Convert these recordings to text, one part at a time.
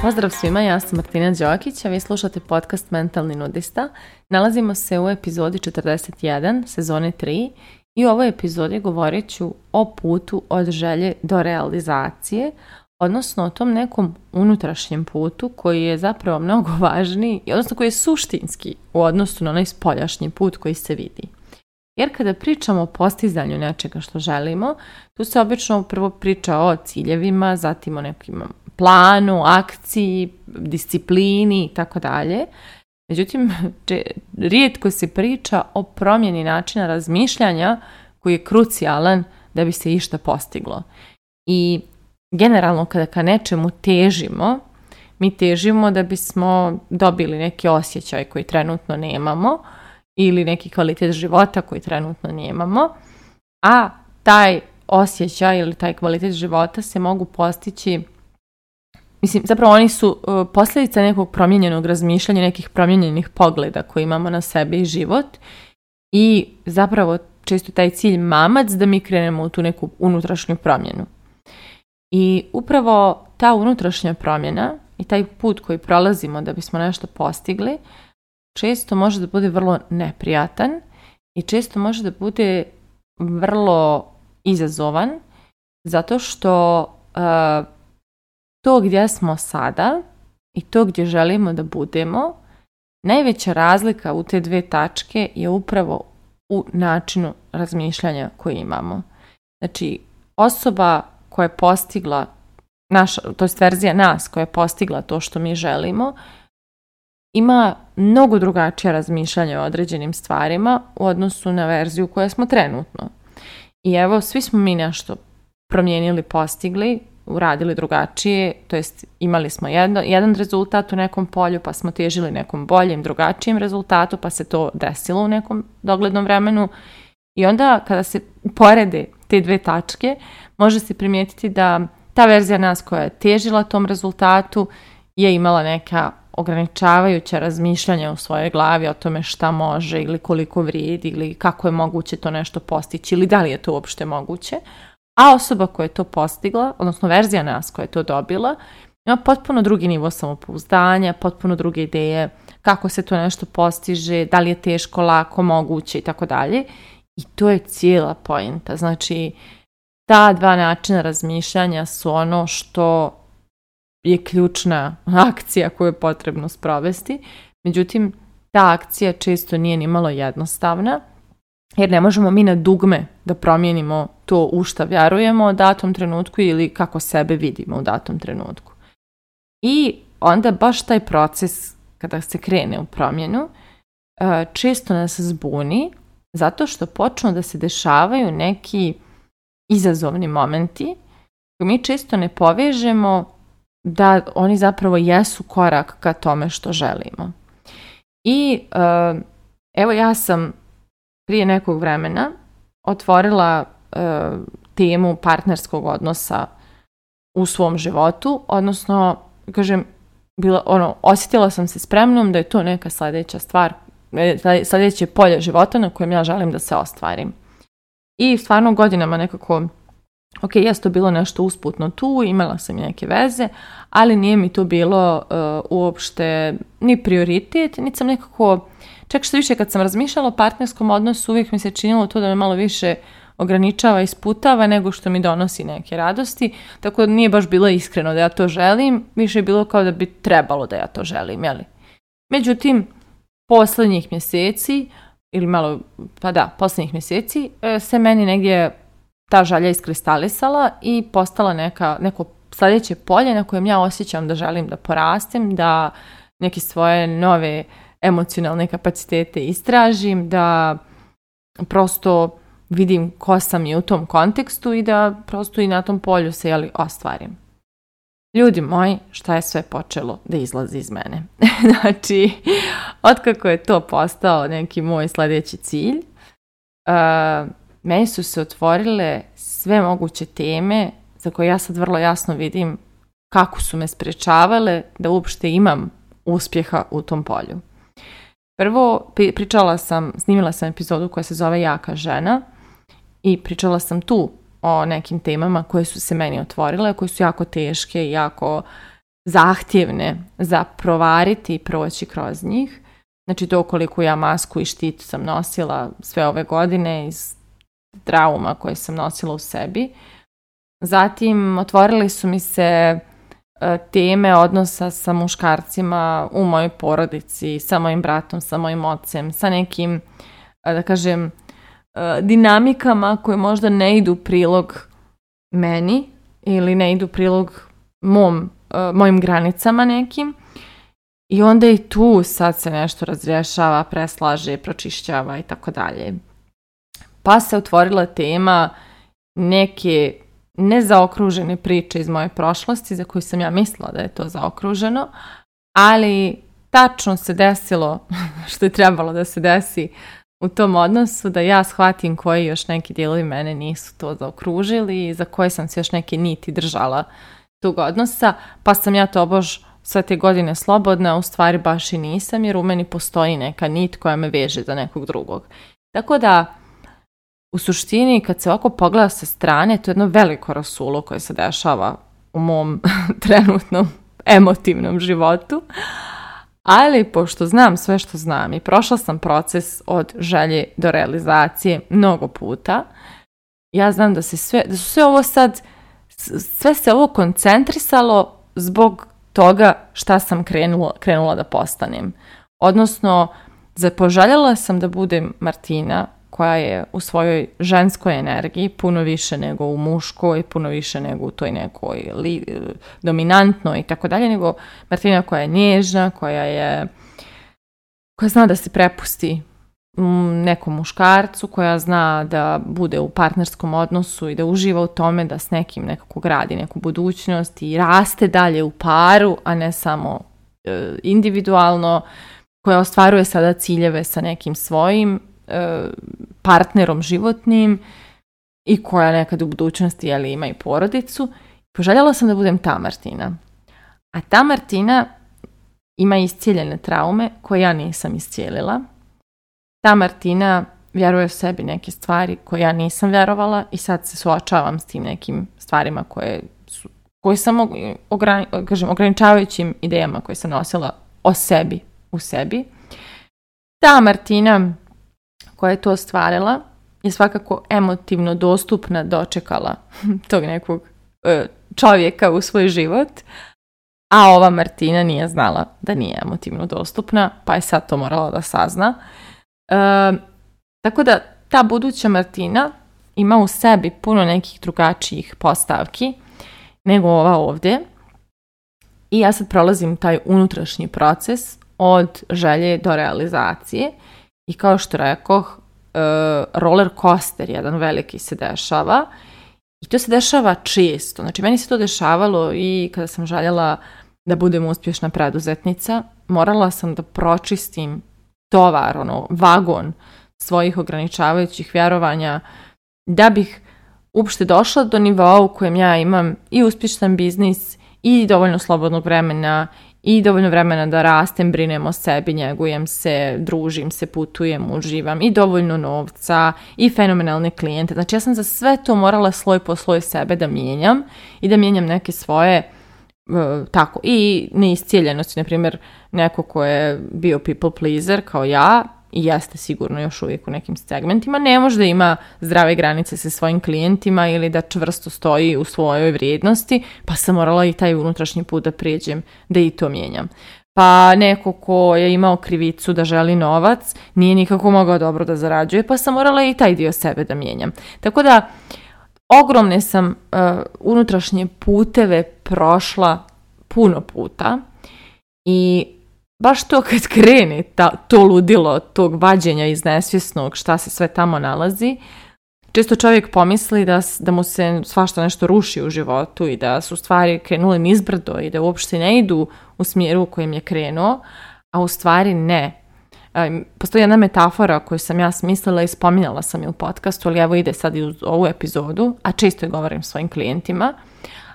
Pozdrav svima, ja sam Martina Đokić, a vi slušate podcast Mentalni nudista. Nalazimo se u epizodi 41, sezone 3 i u ovoj epizodi govorit ću o putu od želje do realizacije, odnosno o tom nekom unutrašnjem putu koji je zapravo mnogo važniji, odnosno koji je suštinski u odnosu na onaj spoljašnji put koji se vidi. Jer kada pričamo o postizanju nečega što želimo, tu se obično prvo priča o ciljevima, zatim o nekim planu, akciji, disciplini i tako dalje. Međutim, rijetko se priča o promjeni načina razmišljanja koji je krucijalan da bi se išta postiglo. I generalno kada ka nečemu težimo, mi težimo da bismo dobili neki osjećaj koji trenutno nemamo ili neki kvalitet života koji trenutno nemamo, a taj osjećaj ili taj kvalitet života se mogu postići, zapravo oni su posljedica nekog promijenjenog razmišljanja, nekih promijenjenih pogleda koji imamo na sebe i život i zapravo često taj cilj mamac da mi krenemo u tu neku unutrašnju promjenu. I upravo ta unutrašnja promjena i taj put koji prolazimo da bismo nešto postigli često može da bude vrlo neprijatan i često može da bude vrlo izazovan zato što to gdje smo sada i to gdje želimo da budemo, najveća razlika u te dve tačke je upravo u načinu razmišljanja koji imamo. Znači, osoba koja je postigla, to je verzija nas koja je postigla to što mi želimo, ima mnogo drugačije razmišljanje o određenim stvarima u odnosu na verziju koja smo trenutno. I evo, svi smo mi nešto promijenili, postigli, uradili drugačije, to jest imali smo jedan rezultat u nekom polju, pa smo težili nekom boljem, drugačijem rezultatu, pa se to desilo u nekom doglednom vremenu. I onda kada se uporede te dve tačke, može se primijetiti da ta verzija nas koja je težila tom rezultatu je imala neka ograničavajuća razmišljanja u svojoj glavi o tome šta može ili koliko vrijedi ili kako je moguće to nešto postići ili da li je to uopšte moguće. A osoba koja je to postigla, odnosno verzija nas koja je to dobila, ima potpuno drugi nivo samopouzdanja, potpuno druge ideje kako se to nešto postiže, da li je teško, lako, moguće i tako dalje. I to je cijela poenta. Znači, ta dva načina razmišljanja su ono što je ključna akcija koju je potrebno sprovesti. Međutim, ta akcija često nije ni malo jednostavna, jer ne možemo mi na dugme da promijenimo to u šta vjerujemo u datom trenutku ili kako sebe vidimo u datom trenutku. I onda baš taj proces kada se krene u promjenu često nas zbuni zato što počnu da se dešavaju neki izazovni momenti koji mi često ne povežemo da oni zapravo jesu korak ka tome što želimo. I evo ja sam prije nekog vremena otvorila temu partnerskog odnosa u svom životu, odnosno, kažem, osjetila sam se spremnom da je to neka sljedeća stvar, sljedeće polje života na kojem ja želim da se ostvarim. I stvarno godinama nekako, jes to bilo nešto usputno tu, imala sam i neke veze, ali nije mi to bilo uopšte ni prioritet, niti sam nekako, čak što više kad sam razmišljala o partnerskom odnosu, uvijek mi se činilo to da me malo više ograničava i sputava nego što mi donosi neke radosti, tako da nije baš bilo iskreno da ja to želim, više je bilo kao da bi trebalo da ja to želim, jeli? Međutim, posljednjih mjeseci, posljednjih mjeseci se meni negdje ta želja iskristalisala i postala neko sljedeće polje na kojem ja osjećam da želim da porastem, da neke svoje nove emocionalne kapacitete istražim, da prosto vidim ko sam i u tom kontekstu i da prosto i na tom polju se ostvarim. Ljudi moji, šta je sve počelo da izlazi iz mene? Znači, otkako je to postao neki moj sljedeći cilj, meni su se otvorile sve moguće teme za koje ja sad vrlo jasno vidim kako su me sprečavale da uopšte imam uspjeha u tom polju. Prvo, snimila sam epizodu koja se zove Jaka žena i pričala sam tu o nekim temama koje su se meni otvorile, koje su jako teške i jako zahtjevne za provariti i proći kroz njih. Znači to koliko ja masku i štit sam nosila sve ove godine iz trauma koje sam nosila u sebi. Zatim otvorili su mi se teme odnosa sa muškarcima u mojoj porodici, sa mojim bratom, sa mojim ocem, sa nekim, da kažem, dinamikama koje možda ne idu u prilog meni ili ne idu u prilog mojim granicama nekim. I onda i tu sad se nešto razrješava, preslaže, pročišćava i tako dalje. Pa se otvorila tema neke nezaokružene priče iz moje prošlosti za koju sam ja mislila da je to zaokruženo, ali tačno se desilo što je trebalo da se desi u tom odnosu, da ja shvatim koji još neki dijelovi mene nisu to zaokružili i za koje sam se još neke niti držala tog odnosa, pa sam ja tobož sve te godine slobodna, u stvari baš i nisam, jer u meni postoji neka nit koja me veže za nekog drugog. Tako da, u suštini, kad se ovako pogleda sa strane, to je jedno veliko rasulo koje se dešava u mom trenutnom emotivnom životu, ali pošto znam sve što znam i prošla sam proces od želje do realizacije mnogo puta, ja znam da su sve ovo sad, sve se ovo koncentrisalo zbog toga šta sam krenula da postanem. Odnosno, zapoželjela sam da budem Martina koja je u svojoj ženskoj energiji puno više nego u muškoj, puno više nego u toj nekoj dominantnoj i tako dalje, nego Martina koja je nježna, koja zna da se prepusti nekom muškarcu, koja zna da bude u partnerskom odnosu i da uživa u tome da s nekim nekako gradi neku budućnost i raste dalje u paru, a ne samo individualno, koja ostvaruje sada ciljeve sa nekim svojim partnerom životnim i koja nekad u budućnosti ima i porodicu. Poželjela sam da budem ta Martina. A ta Martina ima iscijeljene traume koje ja nisam iscijelila. Ta Martina vjeruje u sebi neke stvari koje ja nisam vjerovala i sad se suočavam s tim nekim stvarima koje sam ograničavajućim idejama koje sam nosila o sebi u sebi. Ta Martina koja je to ostvarila je svakako emotivno dostupna, dočekala tog nekog čovjeka u svoj život, a ova Martina nije znala da nije emotivno dostupna, pa je sad to morala da sazna. Tako da ta buduća Martina ima u sebi puno nekih drugačijih postavki nego ova ovdje i ja sad prolazim taj unutrašnji proces od želje do realizacije i kao što rekoh, roller coaster jedan veliki se dešava i to se dešava često. Znači meni se to dešavalo i kada sam željela da budem uspješna preduzetnica, morala sam da pročistim tovar, vagon svojih ograničavajućih vjerovanja da bih uopšte došla do nivoa u kojem ja imam i uspješan biznis i dovoljno slobodnog vremena i dovoljno vremena da rastem, brinem o sebi, njegujem se, družim se, putujem, uživam i dovoljno novca i fenomenalne klijente. Znači ja sam za sve to morala sloj po sloj sebe da mijenjam i da mijenjam neke svoje tako i neiscijeljenosti, na primjer neko ko je bio people pleaser kao ja i jeste sigurno još uvijek u nekim segmentima, ne može da ima zdrave granice sa svojim klijentima ili da čvrsto stoji u svojoj vrijednosti, pa sam morala i taj unutrašnji put da prijeđem, da i to mijenjam. Pa neko ko je imao krivicu da želi novac, nije nikako mogao dobro da zarađuje, pa sam morala i taj dio sebe da mijenjam. Tako da, ogromne sam unutrašnje puteve prošla puno puta i baš to kad krene to ludilo tog vađenja iz nesvjesnog šta se sve tamo nalazi, često čovjek pomisli da mu se svašta nešto ruši u životu i da su stvari krenule nizbrdo i da uopšte ne idu u smjeru u kojem je krenuo, a u stvari ne. Postoji jedna metafora koju sam ja smislila i spominjala sam je u podcastu, ali evo ide sad i u ovu epizodu, a često je govorim svojim klijentima,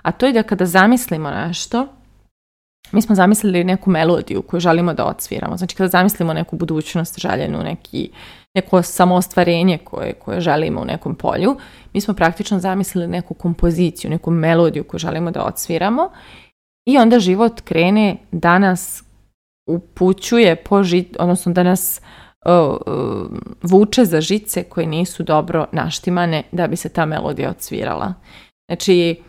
a to je da kada zamislimo nešto mi smo zamislili neku melodiju koju želimo da odsviramo. Znači kada zamislimo neku budućnost željenu, neko samoostvarenje koje želimo u nekom polju, mi smo praktično zamislili neku kompoziciju, neku melodiju koju želimo da odsviramo i onda život krene da nas upućuje odnosno da nas vuče za žice koje nisu dobro naštimane da bi se ta melodija odsvirala. Znači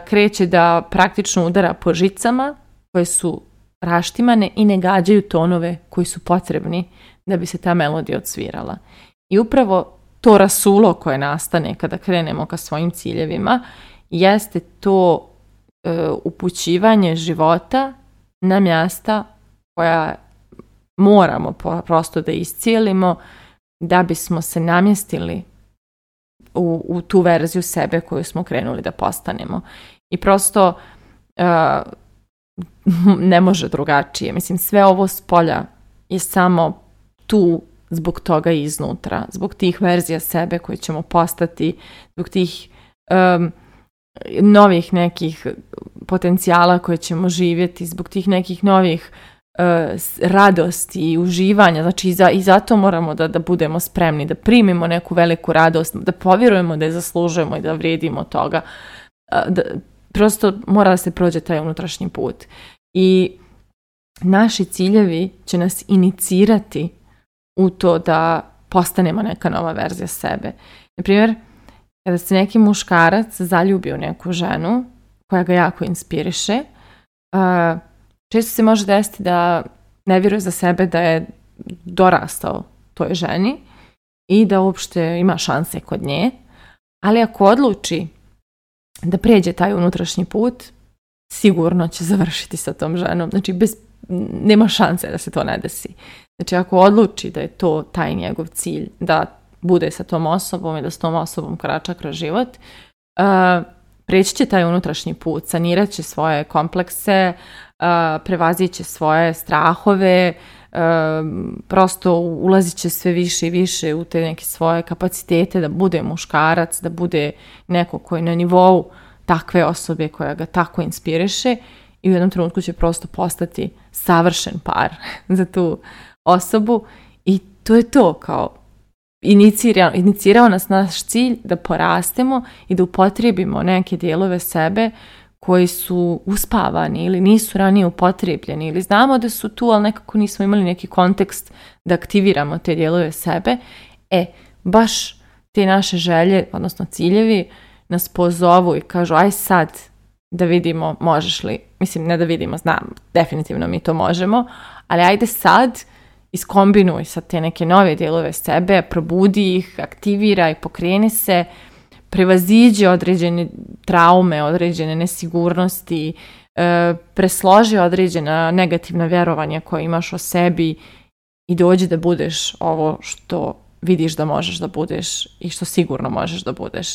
kreće da praktično udara po žicama koje su raštimane i ne gađaju tonove koji su potrebni da bi se ta melodija odsvirala. I upravo to rasulo koje nastane kada krenemo ka svojim ciljevima jeste to upućivanje života na mjesta koja moramo prosto da iscijelimo da bismo se namjestili u tu verziju sebe koju smo krenuli da postanemo. I prosto ne može drugačije. Mislim, sve ovo s polja je samo tu zbog toga iznutra, zbog tih verzija sebe koje ćemo postati, zbog tih novih nekih potencijala koje ćemo živjeti, zbog tih nekih novih radosti i uživanja. Znači i zato moramo da budemo spremni, da primimo neku veliku radost, da povjerujemo da je zaslužujemo i da vrijedimo toga. Prosto mora da se prođe taj unutrašnji put. I naši ciljevi će nas inicirati u to da postanemo neka nova verzija sebe. Naprimjer, kada se neki muškarac zaljubi u neku ženu koja ga jako inspiriše, često se može desiti da ne vjeruje za sebe da je dorastao toj ženi i da uopšte ima šanse kod nje, ali ako odluči da pređe taj unutrašnji put, sigurno će završiti sa tom ženom. Znači, nema šanse da se to ne desi. Znači, ako odluči da je to taj njegov cilj, da bude sa tom osobom i da s tom osobom korača kroz život, preći će taj unutrašnji put, sanirat će svoje komplekse, prevazit će svoje strahove, prosto ulazit će sve više i više u te neke svoje kapacitete da bude muškarac, da bude neko koji na nivou takve osobe koja ga tako inspiriše i u jednom trenutku će prosto postati savršen par za tu osobu i to je to, kao inicirao nas naš cilj da porastemo i da upotrijebimo neke dijelove sebe koji su uspavani ili nisu ranije upotrijebljeni ili znamo da su tu, ali nekako nismo imali neki kontekst da aktiviramo te dijelove sebe. Baš te naše želje, odnosno ciljevi, nas pozovu i kažu aj sad da vidimo možeš li, mislim ne da vidimo, znam, definitivno mi to možemo, ali ajde sad iskombinuj sa te neke nove dijelove sebe, probudi ih, aktiviraj, pokreni se, prevaziđi određene traume, određene nesigurnosti, presloži određena negativna vjerovanja koje imaš o sebi i dođi da budeš ovo što vidiš da možeš da budeš i što sigurno možeš da budeš.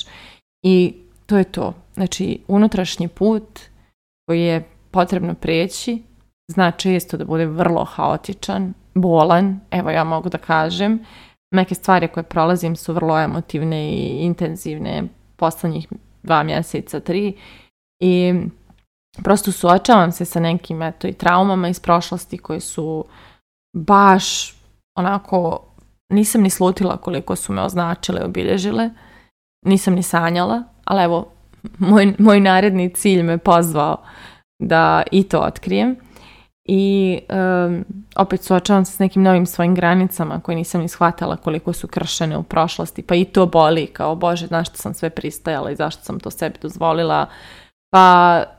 I to je to. Znači, unutrašnji put koji je potrebno preći zna često da bude vrlo haotičan, bolan, evo ja mogu da kažem. Neke stvari koje prolazim su vrlo emotivne i intenzivne poslednjih 2 mjeseca, 3 i prosto suočavam se sa nekim i traumama iz prošlosti koji su baš onako, nisam ni slutila koliko su me označile, obilježile, nisam ni sanjala, ali evo moj naredni cilj me pozvao da i to otkrijem. I opet suočavam se s nekim novim svojim granicama koje nisam ni shvatala koliko su kršene u prošlosti, pa i to boli, kao Bože, na što sam sve pristajala i zašto sam to sebi dozvolila,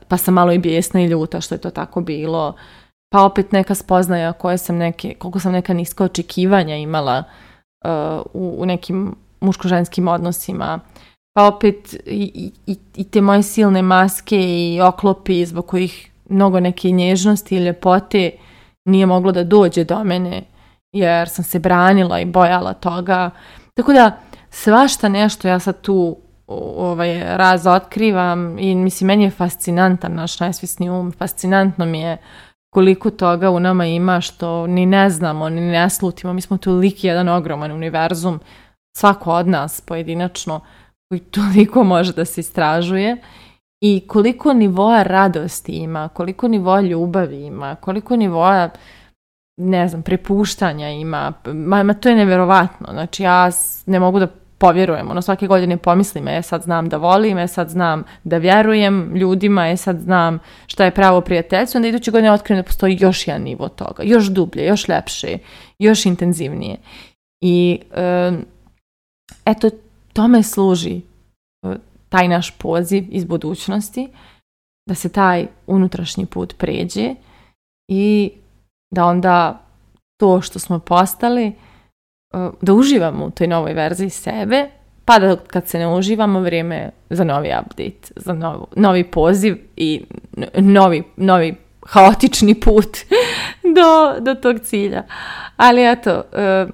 pa sam malo i bijesna i ljuta što je to tako bilo, pa opet neka spoznaja koliko sam neka niska očekivanja imala u nekim muško-ženskim odnosima, pa opet i te moje silne maske i oklopi zbog kojih mnogo neke nježnosti i ljepote nije moglo da dođe do mene jer sam se branila i bojala toga. Tako da svašta nešto ja sad tu razotkrivam i mislim meni je fascinantan naš najsvjesni um, fascinantno mi je koliko toga u nama ima što ni ne znamo, ni ne slutimo. Mi smo toliki jedan ogroman univerzum, svako od nas pojedinačno koji toliko može da se istražuje i koliko nivoa radosti ima, koliko nivoa ljubavi ima, koliko nivoa, ne znam, prepuštanja ima. Ma to je neverovatno. Znači ja ne mogu da povjerujem. Svake godine pomislim, sad znam da volim, sad znam da vjerujem ljudima, sad znam šta je pravo prijateljstvo, onda iduće godine otkrijem da postoji još jedan nivo toga, još dublje, još lepše, još intenzivnije. I eto, tome služi taj naš poziv iz budućnosti, da se taj unutrašnji put pređe i da onda to što smo postali, da uživamo u toj novoj verziji sebe, pa da kad se ne uživamo, vrijeme za novi update, za novi poziv i novi haotični put do tog cilja. Ali eto,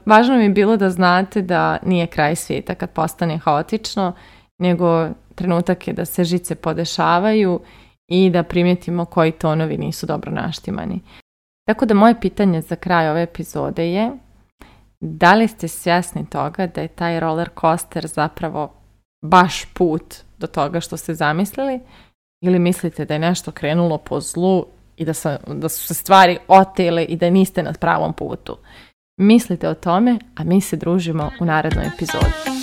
važno mi je bilo da znate da nije kraj svijeta kad postane haotično, nego trenutak je da se žice podešavaju i da primijetimo koji tonovi nisu dobro naštimani. Tako da moje pitanje za kraj ove epizode je: da li ste svjesni toga da je taj roller coaster zapravo baš put do toga što ste zamislili, ili mislite da je nešto krenulo po zlu i da su se stvari otele i da niste na pravom putu? Mislite o tome, a mi se družimo u narednoj epizodi.